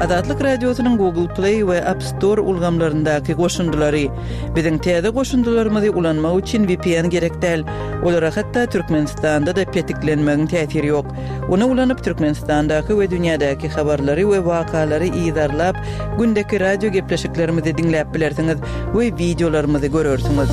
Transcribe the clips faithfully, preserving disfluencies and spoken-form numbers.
Azatlyk Radiosynyň Google Play we App Store ulgamlaryndaky goşundylary. Biziň täze goşundylarymyzy ulanmak üçin V P N gerek däl. Olara hatda Türkmenistanda-da petiklenmegiň täsiri ýok. Ony ulanyp Türkmenistandaky we dünýädäki habarlary we wakalary yzarlap, gündeki radio gepleşiklerimizi diňläp bilersiňiz we wideolarymyzy görersiňiz.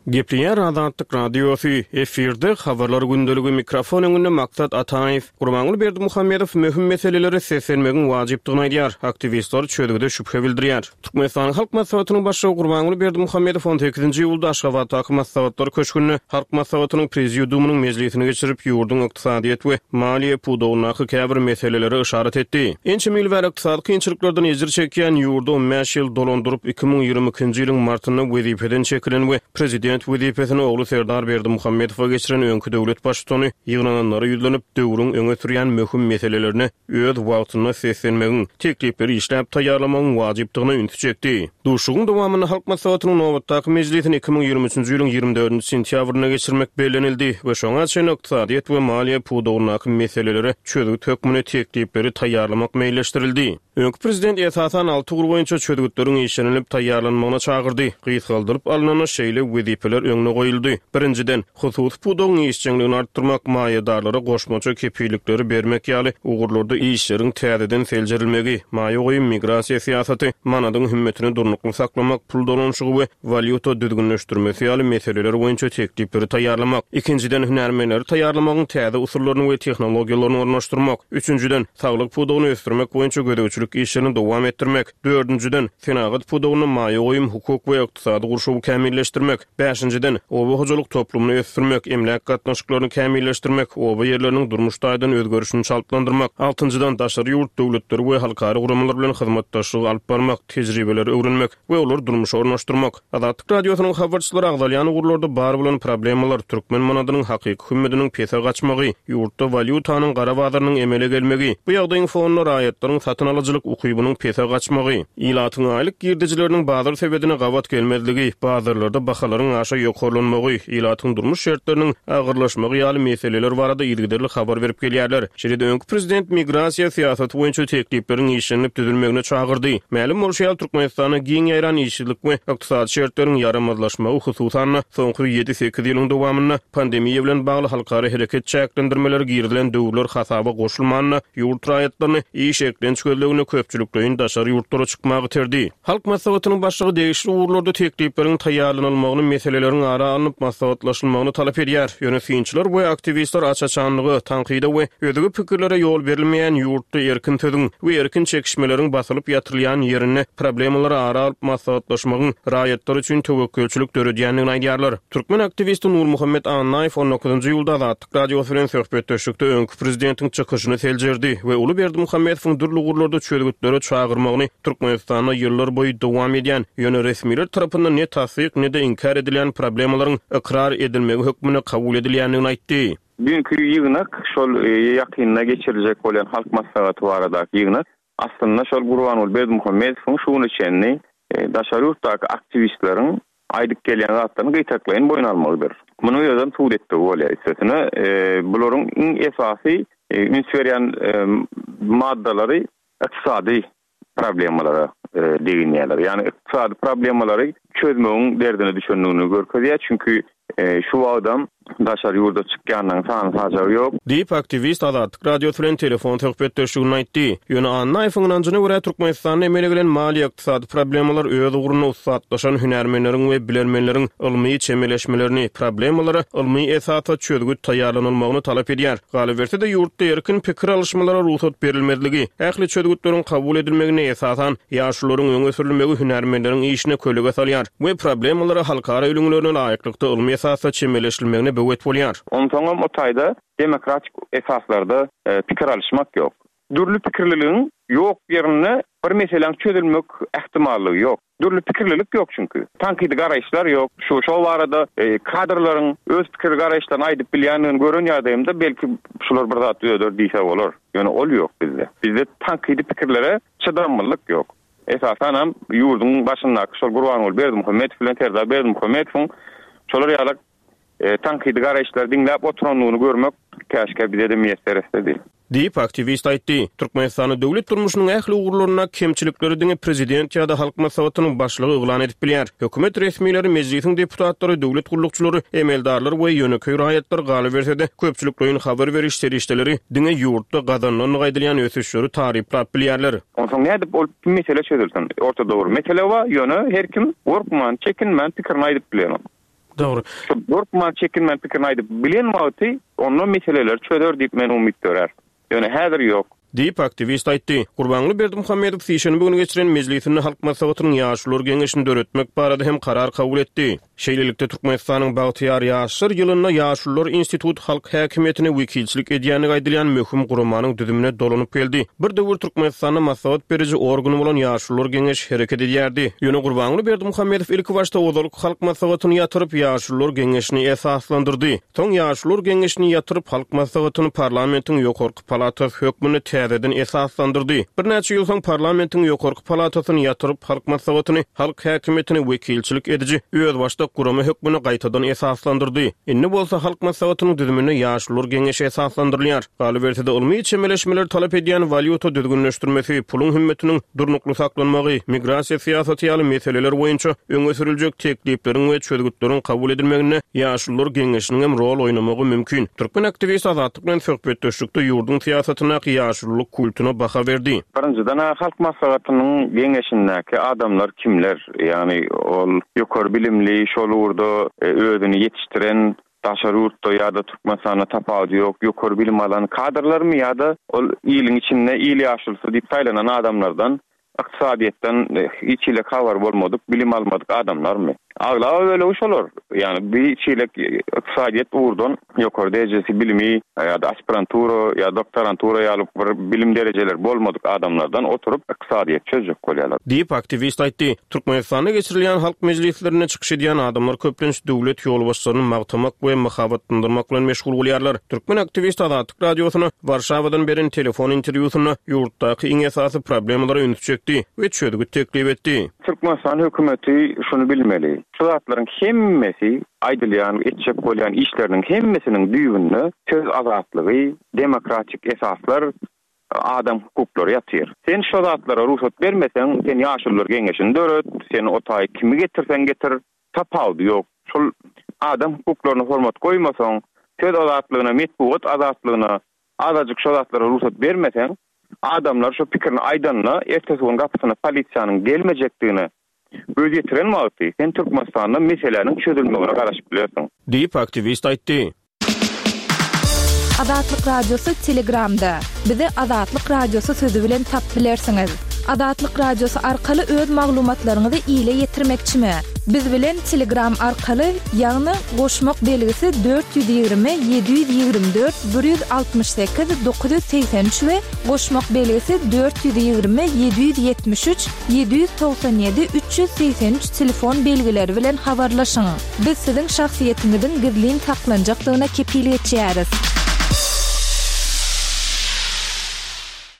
Gepleýär Azatlyk Radiosy, efirde habarlar gündeligi, mikrofon öňünde Maksat Ataýew. Gurbanguly Berdimuhamedow möhüm meselelere seslenmegiň wajypdygyny aýdýar. Aktiwistler çözgüde şübhe bildirýär. Türkmenistanyň Halk Maslahatynyň başlygy Gurbanguly Berdimuhamedow on sekizinji iýulda Aşgabatdaky Maslahatlar köşgünde Halk Maslahatynyň Prezidiumynyň mejlisini geçirip, ýurduň ykdysadyýet we maliýe pudagyndaky käbir meselelere yşarat etdi. Ençeme ýyl bäri ykdysady kynçylyklardan ejir çekýän ýurdy on bäş ýyl dolandyryp, iki müň ýigrimi ikinji ýylyň martynda wezipeden çekilen we prezident wezipesini ogly Serdar Berdimuhamedowa geçiren öňki döwlet baştutany ýygnananlara ýüzlenip, döwrüň öňe sürýän möhüm meselelerine öz wagtynda seslenmegiň, teklipleri işläp taýýarlamagyň wajypdygyna ünsi çekdi. Duşuşygyň dowamynda Halk Maslahatynyň nobatdaky mejlisini iki müň ýigrimi üçünji ýylyň ýigrimi dördünji sentýabrynda geçirmek bellenildi we şoňa çenli ykdysadyýet we maliýe pudagyndaky meselelere çözgüt hökmünde teklipleri taýýarlamak meýilleşdirildi. Öňki prezident esasan alty ugur boýunça çözgütleriň işlenilip taýýarlanmagyna çagyrdy. Gysgaldylyp alnanda şeýle wezipeler öňüne goýuldy. Birinjiden, hususy pudagyň işjeňligini artdyrmak, maýadarlara goşmaça kepillikleri bermek ýaly ugurlarda işleriň täzeden seljerilmegi, maýa goýum, migrasiýa syýasaty, manadyň hümmetini durnukly saklamak, pul dolanyşygy we walýuta düzgünleşdirmesi ýaly meseleler boýunça teklipleri taýýarlamak. Ikinjiden, hünärmenleri taýýarlamagyň täze usullaryny we tehnologiýalaryny ornaşdyrmak. Üçünjiden, saglyk pudagyny ösdürmek boýunça gözegçilik işlerini dowam etdirmek. Dördünjiden, senagat pudagynda maýa goýum, hukuk we ykdysady gurşawy kämilleşdirmek. Bäşinjiden, oba hojalyk toplumyny ösdürmek, emläk gatnaşyklaryny kämilleşdirmek, oba ýerleriniň durmuş taýdan özgerişini çaltlandyrmak. Altynjydan, daşary ýurt döwletleri we halkara guramalar bilen hyzmatdaşlygy alyp barmak, tejribeleri öwrenmek we olary durmuşa ornaşdyrmak. Azatlyk Radiosynyň habarçylary agzalýan ugurlarda bar bolan problemalar, türkmen manadynyň hakyky hümmetiniň pese gaçmagy, ýurtda walýutanyň gara bazarynyň emele gelmegi, bu ýagdaýyň fonunda raýatlaryň satyn alyjylyk ukybynyň pese gaçmagy, ilatyň aýlyk girdejileriniň bazar sebedine gabat gelmezligi, bazarlarda bahalaryň aşa ýokarlanmagy, ilatyň durmuş şertleriniň agyrlaşmagy ýaly meseleler barada yzygiderli habar berip gelýärler. Şeýle-de öňki prezident migrasiýa syýasaty boýunça teklipleriň işlenilip düzülmegine çagyrdy. Mälim bolşy ýaly, Türkmenistanda giň ýaýran işsizlik we ykdysady şertleriň ýaramazlaşmagy, hususan-da soňky ýedi sekiz ýylyň dowamynda pandemiýa bilen bagly halkara hereket çäklendirmeleri girizilen döwürler hasaba goşulmanda, ýurt raýatlaryny iş eklenç gözlegine köpçülikleýin daşary ýurtlara çykmaga iterdi. Halk Maslahatynyň başlygy degişli ugurlarda teklipleriň taýýarlanylmagyny, meseleleriň ara alnyp maslahatlaşylmagyny talap edýär. Ýöne synçylar we aktiwistler aç-açanlyga, tankyda we özge pikirlere ýol berilmeýän ýurtda, erkin sözüň we erkin çekişmeleriň basylyp ýatyrylýan ýerinde problemalara ara alyp maslahatlaşmagyň raýatlar üçin töwekgelçilik döredýändigini aýdýarlar. Türkmen aktiwisti Nurmuhammet Annaýew on dokuzynjy iýulda Azatlyk Radiosy bilen söhbetdeşlikde öňki prezidentiň çykyşyny seljerdi we uly Berdimuhamedowyň dürli ugurlarda çözgütlere çagyrmagyny Türkmenistanda ýyllar boýy dowam edýän, ýöne resmiler tarapyndan ne tassyk, ne-de inkär edilýän problemalaryň ykrar edilmegi hökmünde kabul edilýändigini aýtdy. Düýnki ýygnak, şol ýakynda geçiriljek bolan Halk Maslahaty baradaky ýygnak aslynda şol Gurbanguly Berdimuhamedowyň şu güne çenli daşary ýurtdaky aktiwistleriň aýdyp gelýän zatlaryny gytaklaýyn boýun almagydyr. Munuň özem subut etdigi bolýar üstesine. Bularyň iň esasy üns berýän maddalary ykdysady problemalara deginýärler. Ýagny ykdysady problemalary çözmegiň derdine düşendigini görkezýär. Çünki şu wagtam daşary ýurda çykýanlaryň sany sajagy ýok. Diýip, aktiwist Azatlyk Radiosy bilen telefon söhbetdeşliginde aýtdy. Ýöne Annaýewiň ynanjyna görä, Türkmenistanda emele gelen maliýe ykdysady problemalar öz ugrunda ussatlaşan hünärmenleriň we bilermenleriň ylmy çemeleşmelerini, problemalara ylmy esasda çözgüt taýýarlanylmagyny talap edýär. Galyberse-de, ýurtda erkin pikir alyşmalara rugsat berilmezligi, ähli çözgütleriň kabul edilmegine esasan ýaşulularyň öňe sürülmegi hünärmenleriň işine kölege salýar we problemalara halkara ülňülerine laýyklykda ylmy esasda çemeleşilmegine böwet bolýar. Onsoňam o taýda demokratik esaslarda pikir alyşmak ýok. Dürli pikirliligiň ýok ýerinde bir meseläň çözülmek ähtimallygy ýok. Dürli pikirlilik ýok çünki. Tankydy garaýyşlar ýok. Şu şo barada kadrlaryň öz pikir garaýyşlaryny aýdyp bilýändigini gören ýagdaýymda belki şular bir zat düzeder diýse bolar. Ýöne ol ýok bizde. Bizde tankydy pikirlere çydamlylyk ýok. Esasanam ýurduň başyndaky şol Gurbanguly Berdimuhamedow bilen Serdar Berdimuhamedowyň şolar ýaly tankydy garaýyşlary diňläp oturandygyny görmek Käşgä bize-de miýesser etsedi. Diýip, aktiwist aýtdy. Türkmenistanda döwlet durmuşynyň ähli ugurlarynda kemçilikleri diňe prezident ýa-da Halk Maslahatynyň başlygy yglan edip bilýär. Hökümet resmileri, mejlisiň deputatlary, döwlet gullukçylary, emeldarlar we ýönekeý raýatlar, galyberse-de, köpçülikleýin habar beriş serişdeleri diňe ýurtda gazanylandygy aýdylýan ösüşleri taryplap bilýärler. Onsoň nädip ol mesele çözülsin? Ortada bir mesele bar, ýöne her kim gorkman, çekinmän pikirini aýdyp bilenok. Dogry. Şo gorkman, çekinmän pikirini aýdyp bilen wagty onda meseleleri çözer diýip men umyt dörär. Ýöne häzir ýok. Diýip, aktiwist aýtdy. Gurbanguly Berdimuhamedow sişenbe güni geçiren mejlisinde Halk Maslahatynyň Ýaşulular geňeşini döretmek barada hem karar kabul etdi. Şeýlelikde, Türkmenistanyň Bagtyýar ýaşlar ýylynda Ýaşulular instituty halk häkimiýetine wekilçilik edýändigi aýdylýan möhüm guramanyň düzümine dolanyp geldi. Bir döwür Türkmenistanda maslahat beriji organy bolan Ýaşulular geňeşi hereket edýärdi. Ýöne Gurbanguly Berdimuhamedow ilkibaşda ozalky Halk Maslahatyny ýatyryp, Ýaşulular geňeşini esaslandyrdy. Soň Ýaşulular geňeşini ýatyryp, Halk Maslahatyny parlamentiň ýokarky palatasy hökmünde täzeden esaslandyrdy. Birnäçe ýyl soň parlamentiň ýokarky palatasyny ýatyryp, Halk Maslahatyny halk häkimiýetine wekilçilik ediji özbaşdak gurama hökmünde gaýtadan esaslandyrdy. Indi bolsa Halk Maslahatynyň düzüminde Ýaşulular geňeşi esaslandyrylýar. Galyberse-de, ylmy çemeleşmeleri talap edýän walýuta düzgünleşdirmesi, puluň hümmetiniň durnukly saklanmagy, migrasiýa syýasaty ýaly meseleler boýunça öňe sürüljek teklipleriň we çözgütleriň kabul edilmeginde Ýaşulular geňeşiniň hem rol oýnamagy mümkin. Türkmen aktiwisti Azatlyk bilen söhbetdeşlikde ýurduň syýasatyndaky ýaşululyk kultuna baha berdi. Birinjiden-ä Halk Maslahatynyň geňeşindäki adamlar kimler? Ýagny ol ýokary bilimli, şol ugurda özüni ýetişdiren, daşary ýurtda ýa-da Türkmenistanda tapawudy ýok, ýokary bilim alan kadrlarmy ýa-da ol iliň içinde il ýaşulusy diýip saýlanan adamlardan, ykdysadyýetden hiç hili habary bolmadyk, bilim almadyk adamlarmy? Aglaba bölegi şolar. Ýagny bir hiç hili ykdysadyýet ugurdan ýokary derejesi bilimi ýa-da aspirantura ýa doktorantura ýaly bir bilim derejeleri bolmadyk adamlardan oturyp ykdysadyýet çözjek bolýarlar. Diýip, aktiwist aýtdy. Türkmenistanda geçirilýän halk mejlislerinde çykyş edýän adamlar köplenç döwlet ýolbaşçylaryny magtamak we mahabatlandyrmak bilen meşgul bolýarlar. Türkmen aktiwisti Azatlyk Radiosyna Warşawadan beren telefon interwýusynda ýurtdaky iň esasy problemalara ünsi çekdi we çözgüt teklip etdi. Türkmenistan hökümeti şuny bilmeli. Şu zatlaryň hemmesi aýdylýan, etjek bolýan işleriniň hemmesiniň düýbünde söz azatlygy, demokratik esaslar, adam hukuklary ýatyr. Sen şo zatlara rugsat bermeseň, sen ýaşulular geňeşini döret, sen o taý kimi getirseň getir, tapawudy ýok. Şol adam hukuklaryna hormat goýmasaň, söz azatlygyna, metbugat azatlygyna azajyk şo zatlara rugsat bermeseň, adamlar şo pikirini aýdanda, ertesi gün gapysyna polisiýanyň gelmejekdigine göz ýetiren wagty sen Türkmenistanda meseläniň çözülmegine garaşyp bilersiň. Diýip, aktiwist aýtdy. Azatlyk Radiosy Telegramda. Bizi Azatlyk Radiosy sözi bilen tapyp bilersiňiz. Azatlyk Radiosy arkaly öz maglumatlaryňyzy ile ýetirmekçimi? Biz bilen Telegram arkaly, ýagny goşmak belgisi dört ýüz ýigrimi ýedi ýüz ýigrimi dört bir ýüz altmyş sekiz dokuz ýüz segsen üç we goşmak belgisi dört ýüz ýigrimi ýedi ýüz ýetmiş üç ýedi ýüz togsan ýedi üç ýüz segsen üç telefon belgileri bilen habarlaşyň. Biz siziň şahsyýetiňiziň gizlin saklanjakdygyna kepil geçýäris.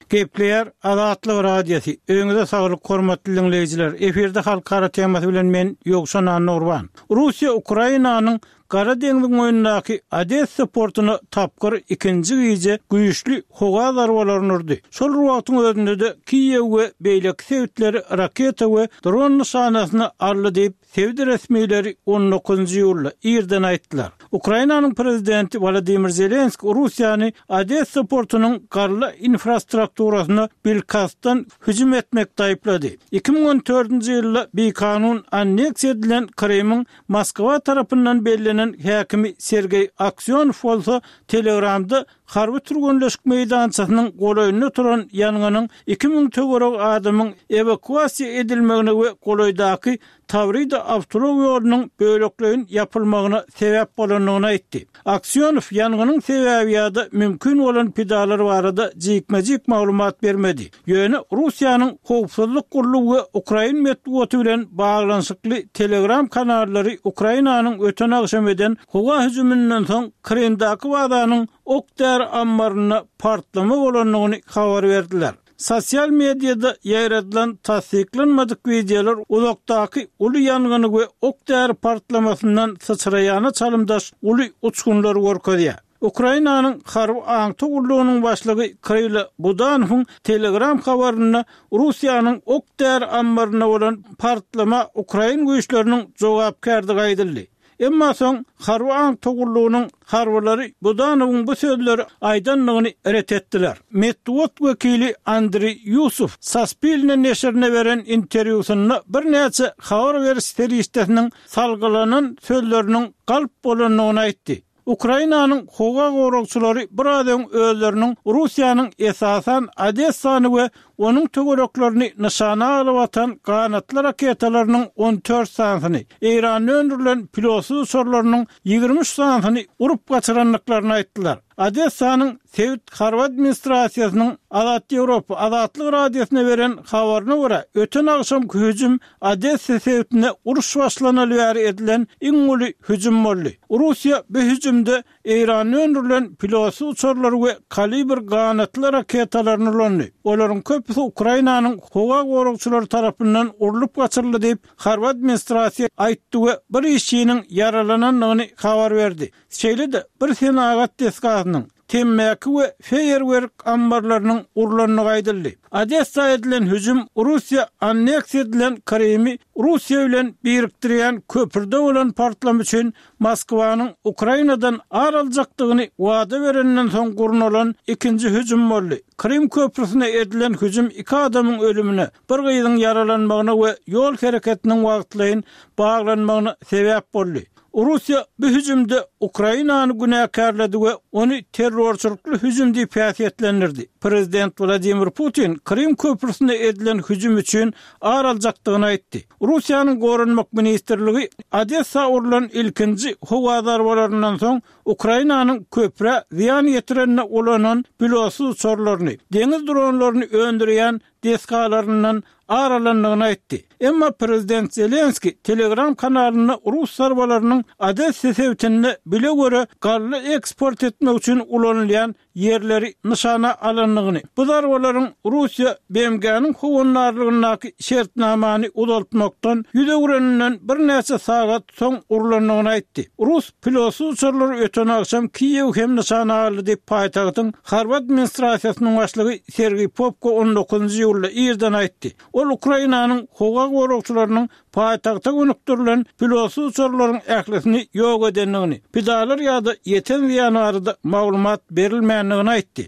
Gepleýär Azatlyk Radiosy. Öýüňize saglyk, hormatly diňleýjiler. Efirde halkara temasy bilen men Ýowşan Annagurban. Russiýa Ukrainanyň Gara deňziň boýundaky Odessa portuna tapgyr ikinji gije güýçli howa zarbalaryny urdy. Şol bir wagtyň özünde-de Kiýew we beýleki sebitleri raketa we dron nyşanasyna aldy diýip, sebit resmileri on dokuzynjy iýulda irden aýtdylar. Ukrainanyň prezidenti Wolodymyr Zelenskiý Russiýany Odessa portunyň galla infrastrukturasyna bilkastdan hüjüm etmekde aýyplady. Iki müň on dördünji ýylda bikanun anneksiýa edilen Krymyň Moskwa tarapyndan bellenen häkimi Sergeý Aksýonow bolsa Telegramda harby türgenleşik meýdançasynyň golaýynda turan ýangynyň iki müň töweregi adamyň ewakuasiýa edilmegine we golaýdaky Tawrida awtoulag ýolunyň bölekleýin ýapylmagyna sebäp bolandygyny aýtdy. Aksýonow ýangynyň sebäbi ýa-da mümkin bolan pidalar barada jikme-jik maglumat bermedi. Ýöne Russiýanyň howpsuzlyk gullugy we ukrain metbugaty bilen baglanyşykly Telegram kanallary Ukrainanyň öten agşam eden howa hüjüminden soň Krymdaky bazanyň ok-däri ammarynda partlama bolandygyny habar berdiler. Sosial mediada ýaýradylan tassyklanmadyk wideolar uzakdaky uly ýangyny we ok-däri partlamasyndan syçraýana çalymdaş uly uçgunlary görkezýär. Ukrainanyň harby aňtaw gullugynyň başlygy Kyrylo Budanowyň Telegram habarynda Russiýanyň ok-däri ammarynda bolan partlama ukrain güýçleriniň jogapkärdigi aýdyldy. Emma soň harby aňtaw gullugynyň harbylary Budanowyň bu sözleri aýdandygyny ret etdiler. Metbugat wekili Andriý Ýusow Saspilne neşirine beren interwýusynda birnäçe habar beriş serişdesiniň salgylanan sözleriniň galp bolandygyny aýtdy. Ukrainanyň howa goragçylary biraz öň özleriniň Russiýanyň esasan Odessany we onuň töwereklerini nyşana alyp atan ganatly raketalarynyň on dört sanysyny, Eýranda öndürilen pilotsyz uçarlarynyň ýigrimi üç sanysyny urup gaçyrandyklaryny aýtdylar. Odessanyň sebit harby administrasiýasynyň Azat Ýewropa Azatlyk Radiosyna beren habaryna görä, öten agşamky hüjüm Odessa sebitinde uruş başlanaly bäri edilen iň uly hüjüm boldy. Russiýa bu hüjümde Eýranda öndürilen pilotsyz uçarlary we Kalibr ganatly raketalaryny ulandy. Olaryň köpüsi Ukrainanyň howa goragçylary tarapyndan urlup gaçyryldy diýip, harby administrasiýa aýtdy we bir işçiniň ýaralanandygyny habar berdi. Şeýle-de bir senagat desgasynyň, temmäki we feýerwerk ammarlarynyň urlandygy aýdyldy. Odessa edilen hüjüm Russiýa anneksiýa edilen Krymy Russiýa bilen birikdirýän köprüde bolan partlama üçin Moskwanyň Ukrainadan ar aljakdygyny wada berenden soň gurnalan ikinji hüjüm boldy. Krym köprüsine edilen hüjüm iki adamyň ölümine, bir gyzyň ýaralanmagyna we ýol hereketiniň wagtlaýyn baglanmagyna sebäp boldy. Russiýa bu hüjümde Ukrainany günäkärledi we ony terrorçylykly hüjüm diýip häsiýetlendirdi. Prezident Wladimir Putin Krym köprüsine edilen hüjüm üçin ar aljakdygyny aýtdy. Russiýanyň Goranmak ministrligi Odessa urlan ilkinji howa zarbalaryndan soň Ukrainanyň köprä zyýan ýetirenine ulanan pilotsyz uçarlaryny, deňiz dronlaryny öndürýän desgalaryndan ar alandygyny aýtdy. Emma prezident Zelenski Telegram kanalynda rus zarbalarynyň Odessa sebitinde bile göre galla eksport etmek üçin ulanylýan ýerleri nyşana alandygyny, bu zarbalaryň Russiýa B M G-niň howandarlygyndaky şertnamany uzaltmakdan ýüz öwreninden birnäçe sagat soň urlandygyny aýtdy. Rus pilotsyz uçarlary öten agşam Kiýew hem nyşana aldy diýip, paýtagtyň harby administrasiýasynyň başlygy Sergiý Popko on dokuzynjy iýulda irden aýtdy. Ol Ukrainanyň howa goragçylarynyň paýtagta gönükdirilen pilotsyz uçarlaryň ählisini ýok edendigini, pidalar ýa-da ýeten zyýan barada maglumat berilmändigini aýtdy.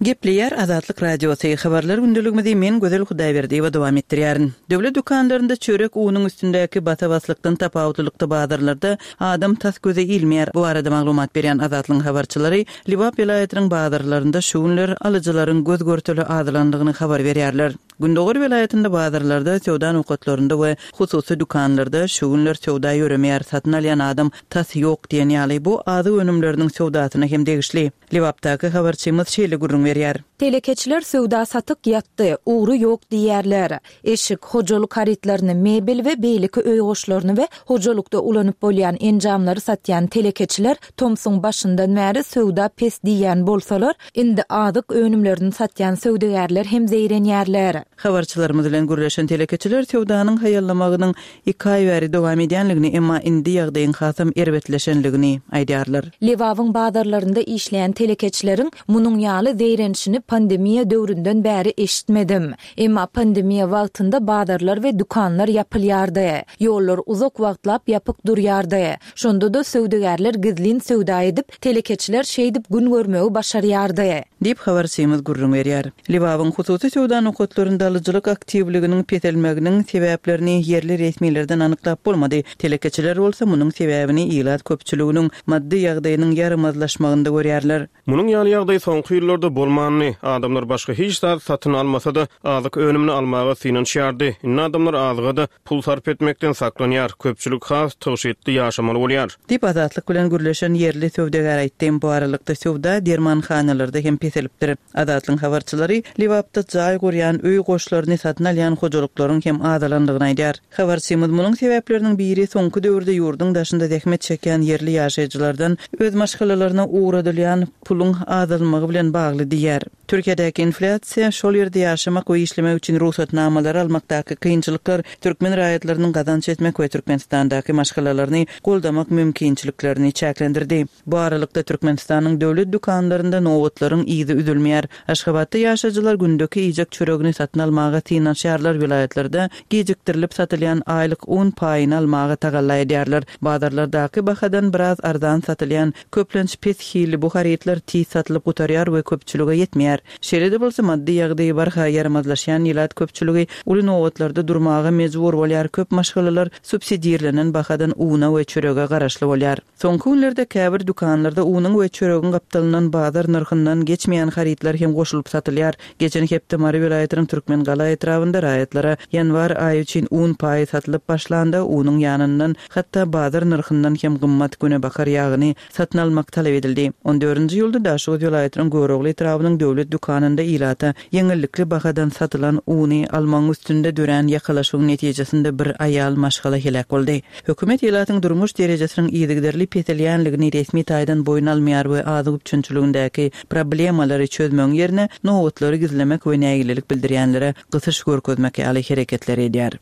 Gepleýär Azatlyk Radiosy. Habarlar gündeligimizi men Gözel Hudaýberdiýewa dowam etdirýärin. Döwlet dükanlarynda çörek unuň üstündäki basa-baslykdan tapawutlylykda bazarlarda adam tas göze ilmeýär. Bu barada maglumat berýän Azatlygyň habarçylary Lebap welaýatynyň bazarlarynda şu günler alyjylaryň göz görteli azalandygyny habar berýärler. Gündogar welaýatynda bazarlarda, söwda nokatlarynda we hususy dükanlarda şu günler söwda ýöremeýär, satyn alýan adam tas ýok diýen ýaly bu azyk önümleriniň söwdasyna hem degişli. Lebapdaky habarçymyz şeýle gürrüň berýär. Telekeçiler söwda satyk ýatdy, ugry ýok diýerler. Eşik, hojalyk harytlaryny, mebel we beýleki öý goşlaryny we hojalykda ulanyp bolýan enjamlary satýan telekeçiler tomsuň başyndan bäri söwda pes diýen bolsalar, indi azyk önümlerini satýan söwdagärler hem zeýrenýärler. Habarçylarymyz bilen gürleşen telekeçiler söwdanyň haýallamagynyň iki aý bäri dowam edýänligini, emma indi ýagdaýyň hasam erbetleşenligini aýdýarlar. Lebabyň bazarlarynda işleýän telekeçileriň munuň ýaly zeýrenişini pandemiýa döwründen bäri eşitmedim. Emma pandemiýa wagtynda bazarlar we dükanlar ýapylýardy. Ýollar uzak wagtlap ýapyk durýardy. Şonda-da söwdagärler gizlin söwda edip, telekeçiler şeýdip gün görmegi başarýardy. Diýip habarçymyz gürrüň berýär. Lebabyň hususy söwda nokatlarynda alyjylyk aktiwliginiň peselmeginiň sebäplerini ýerli resmilerden anyklap bolmady. Telekeçiler bolsa munuň sebäbini ilat köpçüliginiň maddy ýagdaýynyň ýaramazlaşmagynda görýärler. Munuň ýaly ýagdaý soňky ýyllarda bolmandy. Adamlar başga hiç zat satyn almasa-da, azyk önümini almaga synanyşýardy. Indi adamlar azyga-da pul sarp etmekden saklanýar. Köpçülik has tygşytly ýaşamaly bolýar. Diýip Azatlyk bilen gürleşen ýerli söwdagär aýtdy. Bu aralykda söwda dermanhanalarda hem peselipdir. Azatlygyň habarçylary Lebapda jaý gurýan öý goşlaryny satyn alýan hojalyklaryň hem azalandygyny aýdýar. Habarçymyz munuň sebäpleriniň biri soňky döwürde ýurduň daşynda zähmet çekýän ýerli ýaşaýjylardan öz maşgalalaryna ugradylýan puluň azalmagy bilen bagly diýýär. Türkiýedäki inflýasiýa, şol ýerde ýaşamak we işlemek üçin rugsatnamalary almakdaky kynçylyklar türkmen raýatlarynyň gazanç etmek we Türkmenistandaky maşgalalaryny goldamak mümkinçiliklerini çäklendirdi. Bu aralykda, Türkmenistanyň döwlet dükanlarynda nobatlaryň yzy üzülmeýär. Aşgabatda ýaşaýjylar gündeki iýjek çöregini satyn almaga synanyşýarlar, welaýatlarda gijikdirilip satylýan aýlyk un paýyny almaga tagalla edýärler. Bazarlardaky bahadan biraz arzan satylýan, köplenç pes hilli bu harytlar tiz satylyp gutarýar we köpçülige ýetmeýär. Şeýle-de bolsa, maddy ýagdaýy barha ýaramazlaşýan ilat köpçüligi uly nobatlarda durmaga mejbur bolýar, köp maşgalalar subsidirlenen bahadan una we çörege garaşly bolýar. Soňky günlerde käbir dükanlarda unuň we çöregiň gapdalyndan bazar nyrhyndan geçmeýän harytlar hem goşulyp satylýar. Geçen hepde Mary welaýatynyň Türkmengala etrabynda raýatlara ýanwar aýy üçin un paýy satylyp başlanda, unuň ýanyndan hatda bazar nyrhyndan hem gymmat günebakar ýagyny satyn almak talap edildi. On dördünji iýulda Daşoguz welaýatynyň Görogly etrabynyň döwlet dükanynda ilata ýeňillikli bahadan satylan uny almagyň üstünde dörän ýakalaşygyň netijesinde bir aýal maşgala heläk boldy. Hökümet ilatyň durmuş derejesiniň yzygiderli peselýänligini resmi taýdan boýun almaýar we azyk üpjünçiligindäki problemalary çözmegiň ýerine nobatlary gizlemek we nägilelik bildirýänlere gysyş görkezmek ýaly hereketleri edýär.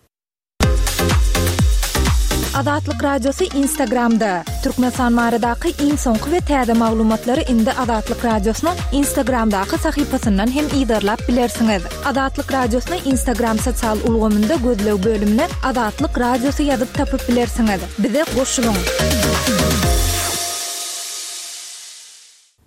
Azatlyk Radiosy Instagramda. Türkmenistan baradaky iň soňky we täze maglumatlary indi Azatlyk Radiosynyň Instagramdaky sahypasyndan hem yzarlap bilersiňiz. Azatlyk Radiosyny Instagram sosial ulgamynda gözleg bölümine Azatlyk Radiosy ýazyp tapyp bilersiňiz. Bize goşulyň!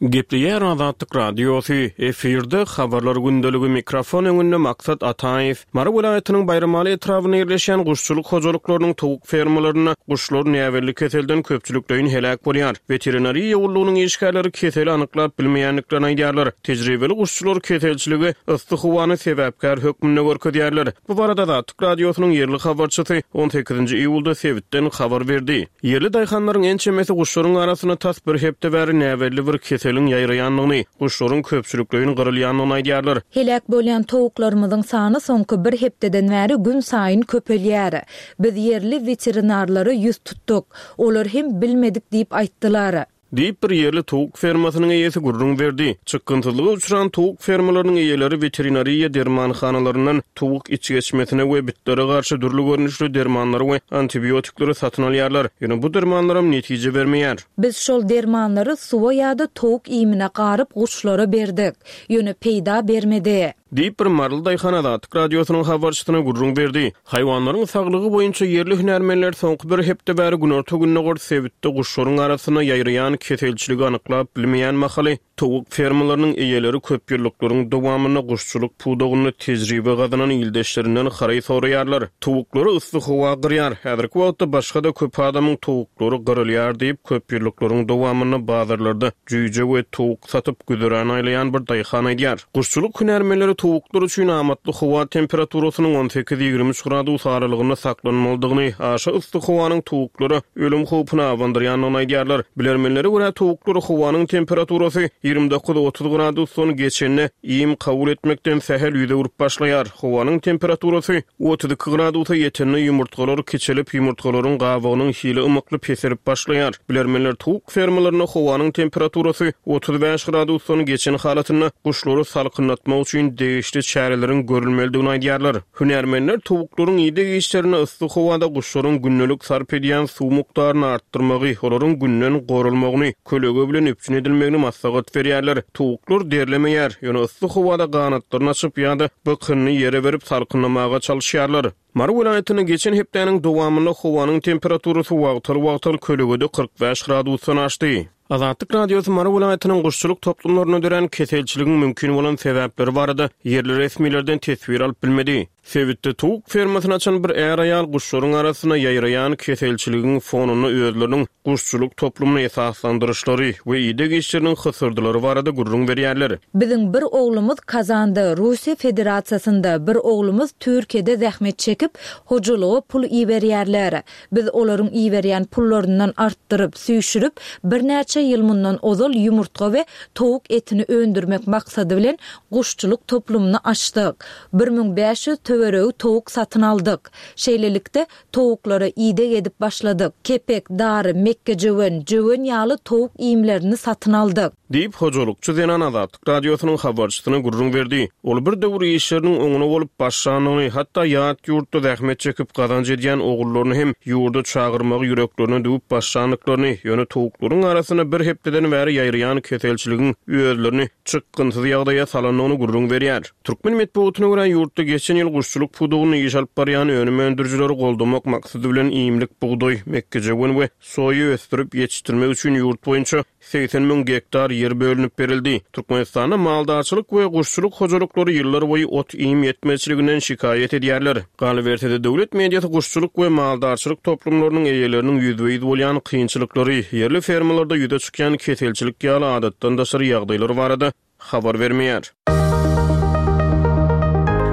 Gepleýär Azatlyk Radiosy, efirde Habarlar gündeligi mikrofon öňünde Maksat Ataýew. Mary welaýatynyň Baýramaly etrabynda ýerleşýän guşçulyk hojalyklarynyň towuk fermalarynda guşlar näbelli keselden köpçülikleýin heläk bolýar. Weterinariýa gullugynyň işgärleri keseli anyklap bilmeýändiklerini aýdýarlar. Tejribeli guşçular keselçilige yssy howany sebäpkär hökmünde görkezýärler. Bu barada Azatlyk Radiosynyň ýerli habarçysy on sekizinji iýulda sebitden habar berdi. Ýerli daýhanlaryň ençemesi guşlaryň arasynda tas bir hepde bäri näbelli bir keseliň ýaýraýandygyny, guşlaryň köpçülikleýin gyrylýandygyny aýdýarlar. Heläk bolýan towuklarymyzyň sany soňky bir hepdeden bäri gün saýyn köpelýär. Biz ýerli weterinarlara ýüz tutduk. Olar hem bilmedik diýip aýtdylar. Diýip bir ýerli towuk fermasynyň eýesi gürrüň berdi. Çykgynsyzlyga uçran towuk fermalarynyň eýeleri weterinariýa dermanhanalaryndan towuk içgeçmesine we bitlere garşy dürli görnüşli dermanlary we antibiotikleri satyn alýarlar. Ýöne bu dermanlaram netije bermeýär. Biz şol dermanlary suwa ýa-da towuk iýmine garyp guşlara berdik. Ýöne peýda bermedi. Diýip bir maryly daýhan Azatlyk Radiosynyň habarçysyna gürrüň berdi. Haýwanlaryň saglygy boýunça ýerli hünärmenler soňky bir hepde bäri günorta-gündogar sebitde guşlaryň arasynda ýaýraýan keselçiligi anyklap bilmeýän mahaly towuk fermalarynyň eýeleri köp ýyllyklaryň dowamynda guşçulyk pudagynda tejribe gazanan ildeşlerinden haraý soraýarlar. Towuklary yssy howa gyrýar. Häzirki wagtda başga-da köp adamyň towuklary gyrylýar diýip köp ýyllyklaryň dowamynda bazarlarda jüýje we towuk satyp güzeran aýlaýan bir daýhan aýdýar. Guşçulyk hünärmenleri towuklar üçin amatly howa temperaturasynyň on sekiz ýigrimi üç gradus aralygynda saklanmalydygyny, aşa yssy howanyň towuklara ölüm howpuny abandyrýandygyny aýdýarlar. Bilermenlere görä towuklar howanyň temperaturasy ýigrimi dokuz otuz gradusdan geçende iým kabul etmekden sähel ýüze urup başlaýar. Howanyň temperaturasy otuz iki gradusa ýetende ýumurtgalar kiçelip, ýumurtgalaryň gabygynyň hili ymykly peselip başlaýar. Bilermenler towuk fermalarynda howanyň temperaturasy otuz bäş gradusdan geçen halatynda guşlary salkynlatmak üçin degişli çäreleriň görülmelidigini aýdýarlar. Hünärmenler towuklaryň ideg işlerinde yssy howada guşlaryň gündelik sarp edýän suw mukdaryny artdyrmagy, olaryň günden goralmagyny, kölege bilen üpjün edilmegini maslahat berýärler. Towuklar derlemeýär, ýöne yssy howada ganatlaryny açyp ýa-da bykynyny ýere berip salkynlamaga çalyşýarlar. Mary welaýatynda geçen hepdäniň dowamynda howanyň temperaturasy wagtal-wagtal kölegede kyrk bäş gradusdan aşdy. Azatlyk Radiosy Mary welaýatynyň guşçulyk toplumlarynda dörän keselçiligiň mümkin bolan sebäpleri barada ýerli resmilerden teswir alyp bilmedi. Sebitde towuk fermasyny açan bir är-aýal guşlaryň arasynda ýaýraýan keselçiligiň fonunda özleriniň guşçulyk toplumyny esaslandyryşlary we ideg işleriniň hysyrdylary barada gürrüň berýärler. Biziň bir oglumyz Kazanda, Russiýa Federasiýasynda, bir oglumyz Türkiýede zähmet çekip, hojalyga pul iberýärler. Biz olaryň iberýän pullaryndan artdyryp, süýşürip, birnäçe Birnäçe ýyl mundan ozal ýumurtga we towuk etini öndürmek maksady bilen guşçulyk toplumyny açdyk. Bir müň bäş ýüz töweregi towuk satyn aldyk. Şeýlelikde, towuklara ideg edip başladyk. Kepek, dary, mekgejöwen, jöwen ýaly towuk iýmlerini satyn aldyk. Diýip, hojalykçy zenan Azatlyk Radiosynyň habarçysyna gürrüň berdi. Ol bir döwür işleriniň oňuna bolup başlandygyny, hatda ýat ýurtda zähmet çekip gazanç edýän ogullaryny hem ýurda çagyrmagy ýüreklerine düwüp başlandyklaryny, ýöne towuklaryň arasynda bir hepdeden bäri ýaýraýan keselçiligiň özlerini çykgynsyz ýagdaýa salandygyny gürrüň berýär. Türkmen metbugatyna görä, ýurtda geçen ýyl guşçulyk pudagynda iş alyp barýan önüm öndürijileri goldamak maksady bilen iýmlik bugdaý, mekgejöwen we soýa ösdürip ýetişdirmek üçin ýurt boýunça segsen müň gektar ýer bölünip berildi. Türkmenistanda maldarçylyk we guşçulyk hojalyklary ýyllar boýy ot-iým ýetmezçiliginden şikaýat edýärler. Galyberse-de, döwlet mediasy guşçulyk we maldarçylyk toplumlarynyň eýeleriniň ýüzbe-ýüz bolýan kynçylyklary, ýerli fermalarda ýüze çykýan keselçilik ýaly adatdan daşary ýagdaýlar barada habar bermeýär.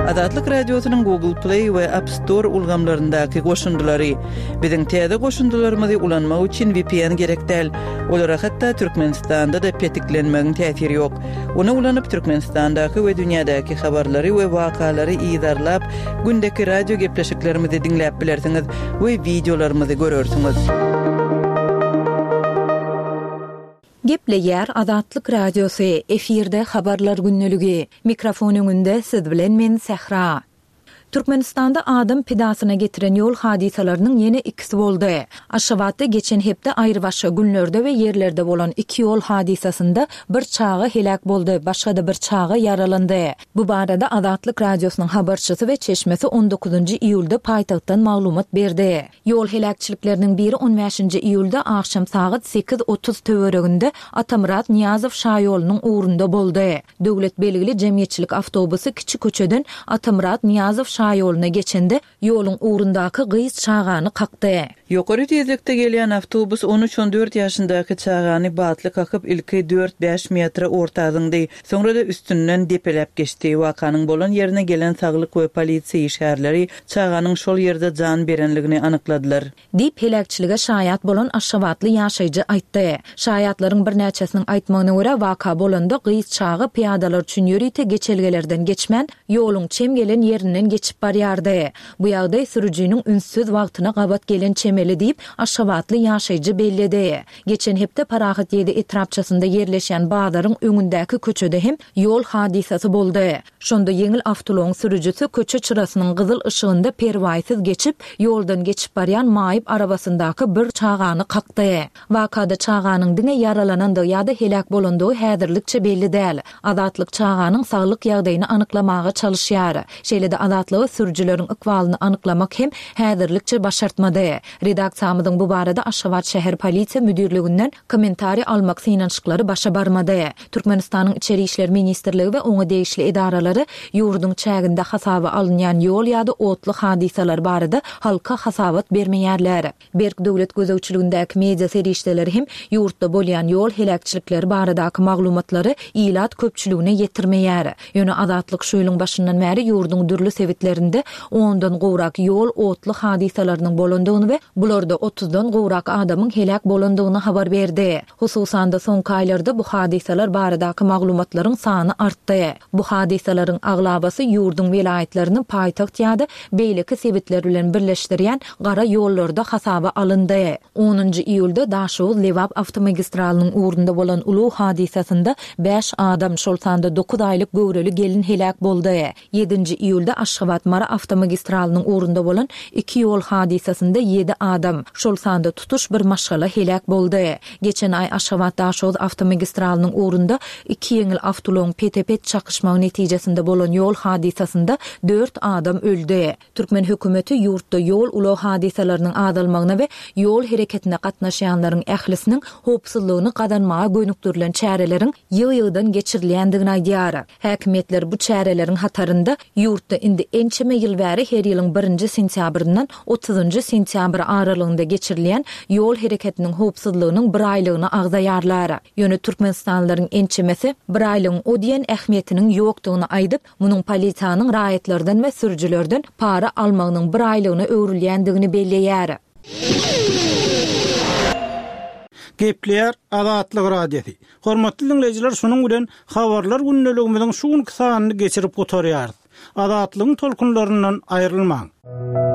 Azatlyk Radiosynyň Google Play we App Store ulgamlaryndaky goşundylary. Biziň täze goşundylarymyzy ulanmak üçin V P N gerek däl. Olara hatda Türkmenistanda-da petiklenmegiň täsiri ýok. Ony ulanyp Türkmenistandaky we dünýädäki habarlary we wakalary yzarlap, gündeki radio gepleşiklerimizi diňläp bilersiňiz we wideolarymyzy görersiňiz. Gepleýär Azatlyk Radiosy, efirde habarlar gündeligi. Mikrofon öňünde siz bilen men Sähra. Türkmenistanda adam pidasyna getiren ýol hadysalarynyň ýene ikisi boldy. Aşgabatda geçen hepde aýrybaşga günlerde we ýerlerde bolan iki ýol hadysasynda bir çaga helak boldy, başga-da bir çaga ýaralandy. Bu barada Azatlyk Radiosynyň habarçysy we çeşmesi on dokuzynjy iýulda paýtagtdan maglumat berdi. Ýol heläkçilikleriniň biri on bäşinji iýulda akşam sagat sekiz otuz töwereginde Atamyrat Niýazow şaýolunyň ugrunda boldy. Döwlet belgili jemgyýetçilik awtobusy kiçi köçeden Atamyrat Niýazow şaýoluna geçende ýoluň ugrundaky gyz çagany kakdy. Ýokary tezlikde gelýän awtobus on üç on dört ýaşyndaky çagany batly kakyp ilki dört bäş metre orta zyňdy. Soňra da üstünden depeläp geçdi. Wakanyň bolan ýerine gelen saglyk we polisiýa işgärleri çaganyň şol ýerde jan berenligini anykladylar. Diýip heläkçilige şaýat bolan Aşgabatly ýaşaýjy aýtdy. Şaýatlaryň birnäçesiniň aýtmagyna görä waka bolanda gyz çaga pyýadalar üçin ýörite geçelgelerden geçmän, ýoluň çem gelen ýerinden geçip barýardy. Bu ýagdaý sürüjiniň ünssüz wagtyna gabat gelen çemeli diýip Aşgabatly ýaşaýjy belledi. Geçen hepde Parahat ýedi etrapçasynda ýerleşen bazaryň öňündäki köçede hem ýol hadysasy boldy. Şonda ýeňil awtoulagyň sürüjisi köçe çyrasynyň gyzyl yşygynda perwaýsyz geçip, ýoldan geçip barýan maýyp arabasyndaky bir çagany kakdy. Wakada çaganyň diňe ýaralanandygy ýa-da helak bolandygy häzirlikçe belli däl. Azatlyk çaganyň saglyk ýagdaýyny anyklamaga çalyşýar. Şeýle-de Azatlygy sürüjileriň ykbalyny anyklamak hem häzirlikçe başartmady. Redaksiýamyzyň bu barada Aşgabat şäher polisiýa müdirliginden kommentariý almak synanyşyklary başa barmady. Türkmenistanyň Içeri İşler Ministrligi we oňa degişli edaralary ýurduň çäginde hasaba alynýan ýol ýa-da otly hadysalar barada halka hasabat bermeýärler. Berk döwlet gözegçiligindäki media serişdeleri hem ýurtda bolýan ýol heläkçilikleri baradaky maglumatlary ilat köpçüligine ýetirmeýär. Ýöne Azatlyk şu ýylyň başyndan bäri ýurduň dürli sebitlerinde ondan gowrak ýol otly hadysalarynyň bolandygyny we bularda otuzdan gowrak adamyň helak bolandygyny habar berdi. Hususan-da soňky aýlarda bu hadysalar baradaky maglumatlaryň sany artdy. Bu hadysalaryň aglabasy ýurduň welaýatlaryny paýtagt ýa-da beýleki sebitler bilen birleşdirýän gara ýollarda hasaba alyndy. Onunjy iýulda Daşoguz-Lebap awtomagistralynyň ugrunda bolan ulag hadysasynda bäş adam, şol sanda dokuz aýlyk göwreli gelin helak boldy. Ýedinji iýulda Aşgabat-Mary awtomagistralynyň ugrunda bolan iki ýol hadysasynda ýedi adam, şol sanda tutuş bir maşgala helak boldy. Geçen aý Aşgabat-Daşoguz awtomagistralynyň ugrunda iki ýeňil awtoulagyň pete-pet çakyşmagy netijesinde bolan ýol hadysasynda dört adam öldi. Türkmen hökümeti ýurtda ýol ulag hadysalarynyň azalmagyna we ýol hereketine gatnaşýanlaryň ählisiniň howpsuzlygyny gazanmaga gönükdirilen çäreleriň ýygy-ýygydan geçirilýändigini aýdýar. Häkimiýetler bu çäreleriň hatarynda ýurtda indi ençeme ýyl bäri her ýylyň birinji sentýabryndan otuzynjy sentýabr aralygynda geçirilýän ýol hereketiniň howpsuzlygynyň bir aýlygyny agzaýarlar. Ýöne Türkmenistanlylaryň ençemesi bir aýlygyň o diýen ähmiýetiniň ýokdugyny aýdyp, munuň polisiýanyň raýatlardan we sürüjilerden para almagynyň bir aýlygyna öwrülýändigini belleýär. Gepleýär Azatlyk Radiosy. Hormatly diňleýjiler, şunuň bilen habarlar gündeligimiziň şu günki sanyny geçirip gutarýarys. Azatlygyň tolkunlaryndan aýrylmaň.